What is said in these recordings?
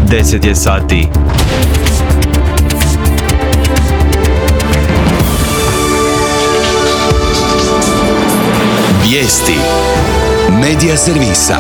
10 je sati. Vijesti Medija servisa.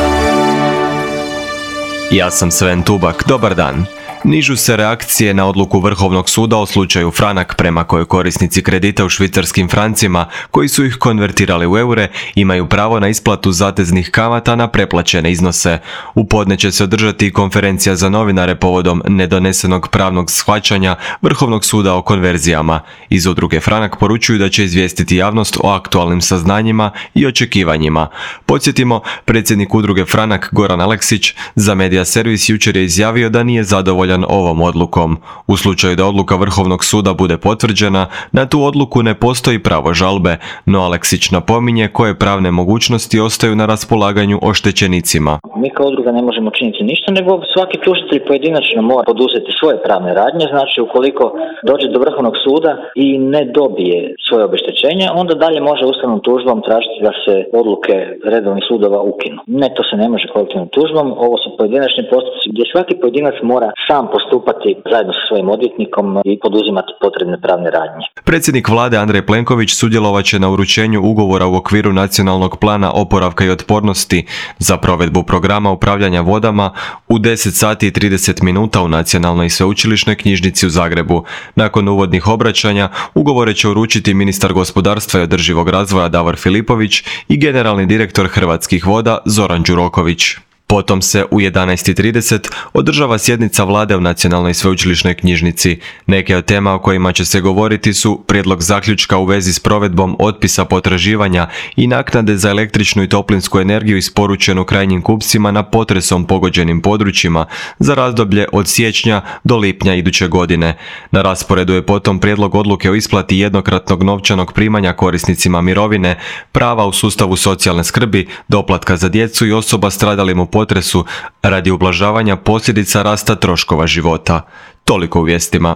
Ja sam Sven Tubak, dobar dan. Nižu se reakcije na odluku Vrhovnog suda o slučaju Franak prema kojoj korisnici kredita u švicarskim francima, koji su ih konvertirali u eure, imaju pravo na isplatu zateznih kamata na preplaćene iznose. U podne će se održati konferencija za novinare povodom nedonesenog pravnog shvaćanja Vrhovnog suda o konverzijama. Iz udruge Franak poručuju da će izvijestiti javnost o aktualnim saznanjima i očekivanjima. Podsjetimo, predsjednik udruge Franak Goran Aleksić za Medija servis jučer je izjavio da nije zadovoljan ovom odlukom. U slučaju da odluka Vrhovnog suda bude potvrđena, na tu odluku ne postoji pravo žalbe, no Aleksić napominje koje pravne mogućnosti ostaju na raspolaganju oštećenicima. Mi kao udruga ne možemo činiti ništa, nego svaki tužitelj pojedinačno mora poduzeti svoje pravne radnje. Znači, ukoliko dođe do Vrhovnog suda i ne dobije svoje obeštećenje, onda dalje može ustavnom tužbom tražiti da se odluke redovnih sudova ukinu. Ne, to se ne može kolektivnom tužbom, ovo su pojedinačni postupci gdje svaki pojedinac mora sam postupati zajedno sa svojim odvjetnikom i poduzimati potrebne pravne radnje. Predsjednik vlade Andrej Plenković sudjelovat će na uručenju ugovora u okviru Nacionalnog plana oporavka i otpornosti za provedbu programa upravljanja vodama u 10 sati i 30 minuta u Nacionalnoj sveučilišnoj knjižnici u Zagrebu. Nakon uvodnih obraćanja ugovore će uručiti ministar gospodarstva i održivog razvoja Davor Filipović i generalni direktor Hrvatskih voda Zoran Đuroković. Potom se u 11:30 održava sjednica vlade u Nacionalnoj sveučilišnoj knjižnici. Neke od tema o kojima će se govoriti su prijedlog zaključka u vezi s provedbom otpisa potraživanja i naknade za električnu i toplinsku energiju isporučenu krajnjim kupcima na potresom pogođenim područjima za razdoblje od siječnja do lipnja iduće godine. Na rasporedu je potom prijedlog odluke o isplati jednokratnog novčanog primanja korisnicima mirovine, prava u sustavu socijalne skrbi, doplatka za djecu i osoba stradalim u potresu radi ublažavanja posljedica rasta troškova života. Toliko u vijestima.